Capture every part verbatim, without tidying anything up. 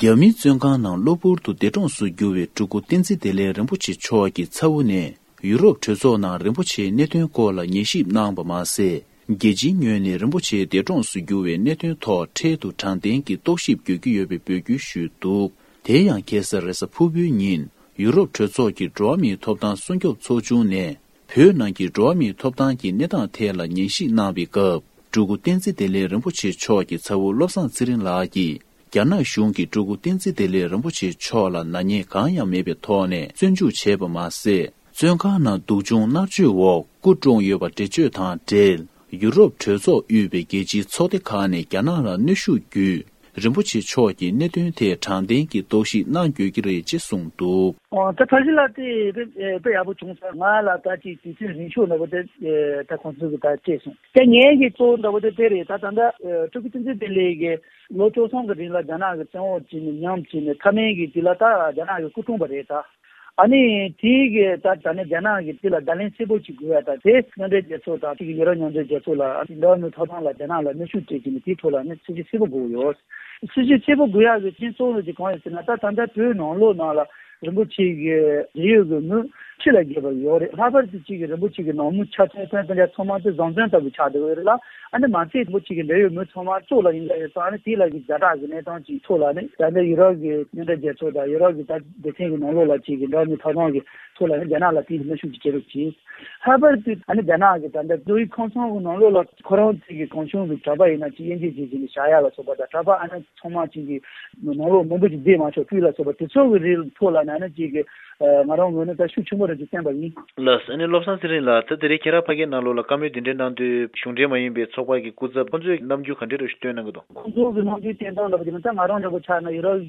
རྒྱ་མིའི་བཙོན་ཁང་ནང་གློ་བུར་དུ་འདས་གྲོངས་སུ་གྱུར་བའི་སྤྲུལ་སྐུ་བསྟན་འཛིན་བདེ་ལེགས་རིན་པོ་ཆེ་མཆོག་གི་ཚ་བོ་ནས་ཡུ་རོབ་གྲོས་ཚོགས་ནང་རིན་པོ་ཆེའི་གནད་དོན་སྐོར་ལ་ཉན་ཞིབ་གནང་བ་མ་ཟད། རྒྱལ་སྤྱིའི་ངོས་ནས་རིན་པོ་ཆེ་འདས་གྲོངས་སུ་གྱུར་བའི་གནད་དོན་ཐོག་འཕྲལ་དུ་དྲང་བདེན་གྱི་རྟོག་ཞིབ་དགོས་ཀྱི་ཡོད་པའི་འབོད་སྐུལ་ཞུས་འདུག་དེ་ཡང་ཁ་སང་རེས་གཟའ་ཕུར་བུའི་ཉིན་ཡུ་རོབ་གྲོས་ཚོགས་ཀྱི་འགྲོ་བ་མིའི་ཐོབ་ཐང་སྲུང་སྐྱོབ་ཚོགས་ཆུང་ནས། བོད་ནང་གི་འགྲོ་བ་མིའི་ཐོབ་ཐང་གི་གནས་སྟངས་ཐད་ལ་ཉན་ཞིབ་གནང་བའི་སྐབས། སྤྲུལ་སྐུ་བསྟན་འཛིན་བདེ་ལེགས་རིན་པོ་ཆེ་མཆོག་གི་ཚ་བོ་བློ་བཟང་ཚེ་རིང་ལགས་ཀྱིས། རྒྱ་ནག་གཞུང་གིས་སྤྲུལ་སྐུ་བསྟན་འཛིན་བདེ་ལེགས་རིན་པོ་ཆེ་མཆོག་ལ་ནག་ཉེས་གང་ཡང་མེད་པའི་ཐོག་ནས་བཙོན་འཇུག་བྱས་པ་མ་ཟད། བཙོན་ཁང་ནང་སྡུག་སྦྱོང་མནར་གཅོད་འོག་སྐུ་གྲོངས་ཡོད་པ་འགྲེལ་བརྗོད་དང་འབྲེལ། ཡུ་རོབ་གྲོས་ཚོགས་དབུས་པའི་རྒྱལ་སྤྱིའི་ཚོགས་སྡེ་ཁག་ནས་རྒྱ་ནག་ལ་གནོན་ཤུགས་བརྒྱུད། རིན་པོ་ཆེ་མཆོག་གི་གནད་དོན་ཐད་དྲང་བདེན་གྱི་རྟོག་ཞིབ་གནང་དགོས་ཀྱི་རེད་ཅེས་གསུངས་འདུག་ཨོ། ད་ཕལ་ཆེར་ལ་དེ་དཔེ་དཔེ་ཡག་པོ་བྱུང་སོང་། ང་ལ་ད་ཅིག་དུས་ཚོད་རིང་ཤོས་འདྲ་པོ་དེ་ད་ཁོང་ཚོ་གི་ད་སྤྲད་སོང་། ད་ངས་ཀྱི་གཙོ་བོ་འདྲ་པོ་དེ་དེ་རེད། ད་ད་ལྟ་སྤྲུལ་སྐུ་བསྟན་འཛིན་བདེ་ལེགས་ཀྱི་ལོ་བཅུ་གསུམ་གི་རིང་ལ་རྒྱ་ནག་གི་བཙོན་འོག་བྱས་ནས་ཉམས་བྱས་ནས་མཐའ་མའི་གི་དེ་ལ་ད་རྒྱ་ནག་གི་སྐུ་གྲོངས་པ་རེད་ད། ཨ་ནི་དེའི་གི་ད་ད་ནི་རྒྱ་ནག་གི་དེ་ལ་བརྡ་ལན་གསལ་པོ་ཅིག་དགོས་ཡ་ད་དེ་མཉམ་འབྲེལ་རྒྱལ་ཚོགས་དང་དེ་གི་ཡུ་རོབ་མཉམ་འབྲེལ་རྒྱལ་ཚོགས་ལ་ཨ་ནི་འགྲོ་བ་མིའི་ཐོབ་ཐང་ལ་རྒྱ་ནག་ལ་གནོན་ཤུགས་སྤྲད་ཀྱི་ནི་དེའི་ཐོག་ལ་ནི་ཚིག་གི་གསལ་པོ་དགོས་ཡོད། སྲིད་ཇུས་གསལ་པོ་དགོས་ཡག་གི་རྐྱེན་གཙོ་བོ་ཅིག་གང་ཡིན་ཟེར་ན། ད་ད་ལྟ་བོད་ནང་ལོགས་ནང་ལ་རིན་པོ་ཆེ་གི་འབྲེལ་ཡོད་གི་མི་ཁྲི་ལ་བརྒལ་བ་ཡོད་རེད། ལྷག་པར་དུ་ཅིག་གི་རིན་པོ་ཆེ་གི་ནང་མི་ཆ་ཚང་ཚང་དེ་འདྲ་ཚང་མ་དེ་བཟང་བཙོན་ལྟ་བུ་ཆགས་བསྡད་ཡོད་རེད་ལ། ཨ་ནི་མ་ཚད་རིན་པོ་ཆེ་གི་འབྲེལ་ཡོད་མི་ཚང་མ་བཙོག་ལ་ཡིན་ད་ཡོད་ཙང་། ཨ་ནི་དེ་ལ་གི་ཛ་དྲག་གི་གནས་སྟངས་ཅིག་ཐོག་ལ་ནི་ད་ལྟ་ཡུ་རོབ་གི་མཉམ་འབྲེལ་རྒྱལ་ཚོགས་དང་ཡུ་རོབ་གི་ད་སྡེ་ཚན་གི་ནང་ལོགས་ལ་ཅིག་གི་འགྲོ་བ་མིའི་ཐོབ་ཐང་གི་ཐོག་ལ་ནི་རྒྱ་ནག་ལ་དེ་གི་གནོན་ཤུགས་ཅིག་བྱེད་རོགས་གྱིས། ལྷག་པར་དུ་ཨ་ནི་རྒྱ་ནག་གི་ད་ལྟ་བཟོ་པའི་ཁང་ཚན་གི་ནང་ལོགས་ལ་ཁོ་རང་ཚོའི་གི་གང་བྱུང་གི་གྲྭ་པ་ཡིན་ན་ཅིག་དབྱེ་འབྱེད་བྱེད་ཀྱི་ནི་བཞག་ཡག་ལ་སོགས་པ་དང་། གྲྭ་པ་ཨ་ནི་ཚང་མ་ཅིག་གི་ནང་ལོགས་མང་པོ་ཅིག་བསྡད་མ་ཆོག་སྤུས་ལ་སོགས་པ་དེ་ཚོ་གི་རིགས་ཐོག་ལ་ནི་ཨ་ནི་ཅིག་གི་ང་རང་ངོས་ནས་ད་ཤུགས་ཆེན་པོ་རེ་ཅིག་བསྟན་པ་ཡིན། ལགས། ཨ་ནི་བློ་བཟང་ཚེ་རིང་ལགས། ད་དེ་རིང་ཁྱེད་རང་ཕ་གིའི་ནང་ལོགས་ལ་བཀའ་མོལ་འདི་འདྲའི་གནང་དུས་གཞུང་འབྲེལ་མ་ཡིན་པའི་ཚོགས་པ་གི་སྐུ་ཚབ་ཁོང་ཚོས་རྣམ་འགྱུར་ག་འདྲ་རེ་ཞིག་སྟོན་གནང་གི་འདུག་ཁོང་ཚོ་གི་རྣམ་འགྱུར་བསྟན་སྟངས་འདྲ་པོ་དེ་ནི་ད་ང་རང་འདྲ་པོ་ཆགས་ན་ཡུ་རོབ་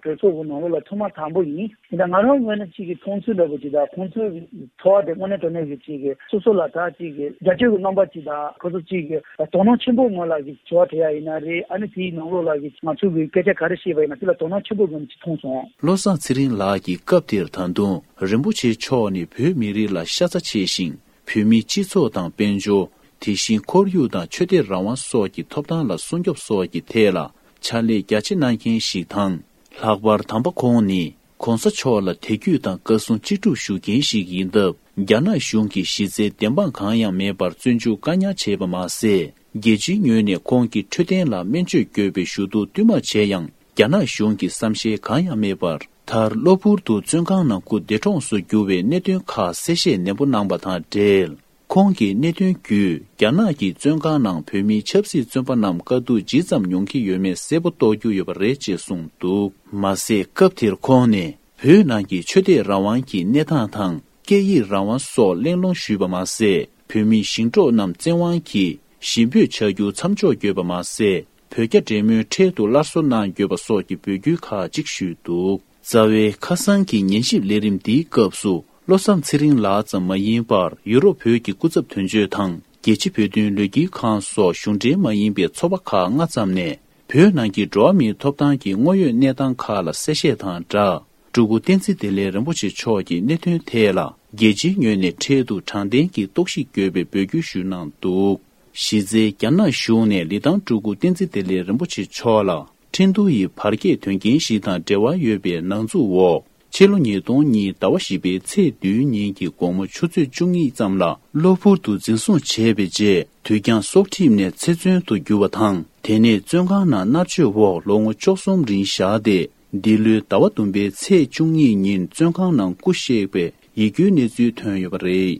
གྲོས་ཚོགས་ཀྱི་ནང་ལོགས་ལ་ཐོག་མ་དང་པོ་ཡིན། ད་ང་རང་ངོས་ནས་ཅིག་གི་མཐོང་ཚུལ་འདྲ་པོ་ཅིག་དང་། ཁོང་ཚོའི་ཚོར་བ་དེ་དངོས་གནས་དྲང་གནས་ཀྱི་ཅིག་གི་སོ་སོ་ལ་ད་ཅིག་གི་རྒྱབ་སྐྱོར་གྱི་རྣམ་པ་ཅིག་དང་། ཁོ་ཚོ་ཅིག་གི་དོ་སྣང་ཆེན་པོ་ངོས་ལ་གི་བྱ་བ་དེ་ཡ་ཡིན་ན་རེད། ཨ་ནི་དེའི་ནང་ལོགས་ལ་གི་ང་ཚོ་གི་སྐད་ཆ་ག་རེ་བཤད་པ་ཡིན་ན་དེ་ལ་དོ་སྣང་ཆེན་པོ་ངོས་ནས་ཅིག་མཐོང་སོང་། བློ་བཟང་ཚེ་རིང་ལགས་ཀྱིས་སྐབས་དེར་ད་དུང་རིན་པོ་ཆེ་མཆོག་ནི་བོད་མི་རིགས་ལ་ཤ་ཚ་ཆེ་ཞིང་། བོད་མིའི་སྤྱི་ཚོགས་དང་དཔལ་འབྱོར། དེ་བཞིན་ཁོར་ཡུག་དང་ཆོས་དད་རང་དབང་སོགས་ཀྱི་ཐོབ་ཐང་ལ་སྲུང་སྐྱོབ་སོགས་ཀྱི་ཐད་ལ་ཕྱག་ལས་རྒྱ་ཆེ་གནང་མཁན་ཞིག་དང་། ལྷག་པར་དམ་པ་ཁོང་ནི་༸གོང་ས་མཆོག་ལ་དད་གུས་དང་བཀའ་གསུང་ཅི་སྒྲུབ་ཞུ་མཁན་ཞིག་ཡིན་སྟབས། རྒྱ་ནག་གཞུང་གིས་གཞི་རྩའི་བདེན་དཔང་གང་ཡང་མེད་པར་བཙོན་འཇུག་བཀག་ཉར་བྱས་པ་མ་ཟད། རྒྱལ་སྤྱིའི་ངོས་ནས་ཁོང་གི་འཕྲོད་བསྟེན་ལ་སྨན་བཅོས་དགོས་པའི་ཞུ་གཏུག་བསྟུད་མར་བྱས་ཡང་། རྒྱ་ནག་གཞུང་གིས་བསམ་ཤེས་གང་ཡང་མེད་པར། མཐར་གློ་བུར་དུ་བཙོན་ཁང་ནང་སྐུ་འདས་གྲོངས་སུ་གྱུར་བའི་གནད་དོན་ཁག་གསལ་བཤད་ནན་པོ་གནང་པ་དང་འབྲེལ། ཁོང་གི་གནད་དོན་བརྒྱུད། རྒྱ་ནག་གི་བཙོན་ཁང་ནང་བོད་མིའི་ཆབ་སྲིད་བཙོན་པ་རྣམས་དཀའ་སྡུག་ཇི་ཙམ་མྱོང་གི་ཡོད་མེད་གསལ་པོ་རྟོགས་རྒྱུ་ཡོད་པ་རེད་ཅེས་གསུངས་འདུག་མ་ཟད། སྐབས་དེར་ཁོང་ནས། བོད་ནང་གི་ཆོས་དད་རང་དབང་གི་གནས་སྟངས་དང་། སྐད་ཡིག་རང་དབང་སོགས་གླེང་སློང་ཞུས་པ་མ་ཟད། བོད་མི་ཞིང་འབྲོག་རྣམས་བཙན་དབང་གིས་ཞི་འབོད་བྱ་རྒྱུ་མཚམས་འཇོག་དགོས་པ་མ་ཟད། བོད་རྒྱ་འབྲེལ་མོལ་འཕྲལ་དུ་སླར་གསོ་གནང་དགོས་པ་སོགས་ཀྱི་འབོད་སྐུལ་ཁག་ཅིག་ཞུས་འདུག་རྩ་བའི་ཁ་སང་གི་ཉན་ཞིབ་ལས་རིམ་འདིའི་སྐབས་སུ། བློ་བཟང་ཚེ་རིང་ལགས་ཙམ་མ་ཡིན་པར། ཡུ་རོབ་བོད་ཀྱི་སྐུ་ཚབ་དོན་གཅོད་དང་། རྒྱལ་སྤྱི་བོད་དོན་ལས་འགུལ་ཁང་སོགས་གཞུང་འབྲེལ་མ་ཡིན་པའི་ཚོགས་པ་ཁག་ལྔ་ཙམ་ནས། བོད་ནང་གི་འགྲོ་བ་མིའི་ཐོབ་ཐང་གི་དངོས་ཡོད་གནས་སྟངས་ཁག་ལ་གསལ་བཤད་དང་སྦྲགས། སྤྲུལ་སྐུ་བསྟན་འཛིན་བདེ་ལེགས་རིན་པོ་ཆེ་མཆོག་གི་གནད་དོན་ཐད་ལ། རྒྱལ་སྤྱིའི་ངོས་ནས་འཕྲལ་དུ་དྲང་བདེན་གྱི་རྟོག་ཞིབ་དགོས་པའི་འབོད་སྐུལ་ཞུས་གནང་འདུག་གཞི་རྩའི་རྒྱ་ནག་གཞུང་ནས་ལི་ཐང་སྤྲུལ་སྐུ་བསྟན་འཛིན་བདེ་ལེགས་རིན་པོ་ཆེ་མཆོག་ལ། ཁྲིན་ཏུའུ་ཡི་བར་བརྒལ་དོན་རྐྱེན་ཞིག་དང་འབྲེལ་བ་ཡོད་པའི་ནང་འཛུལ་འོག་ཕྱི་ལོ་ཉིས་སྟོང་གཉིས་ཟླ་བ་བཞི་པའི་ཚེས་བདུན་ཉིན་གྱི་དགོང་མོ་ཆུ་ཚོད་བཅུ་གཉིས་ཙམ་ལ་གློ་བུར་དུ་འཛིན་བཟུང་བྱས་པའི་རྗེས། དུས་འགྱངས་སྲོག་ཁྲིམས་ནས་ཚེ་བཙོན་དུ་གྱུར་བ་དང་། དེ་ནས་བཙོན་ཁང་ནང་མནར་གཅོད་འོག་ལོ་ངོ་བཅུ་གསུམ་རིང་བཞག་སྟེ། འདི་ལོའི་ཟླ་བ་བདུན་པའི་ཚེས་བཅུ་གཉིས་ཉིན་བཙོན་ཁང་ནང་སྐུ་གཤེགས་པའི་ཡིད་སྐྱོའི་གནས་ཚུལ་ཐོན་ཡོད་པ་རེད།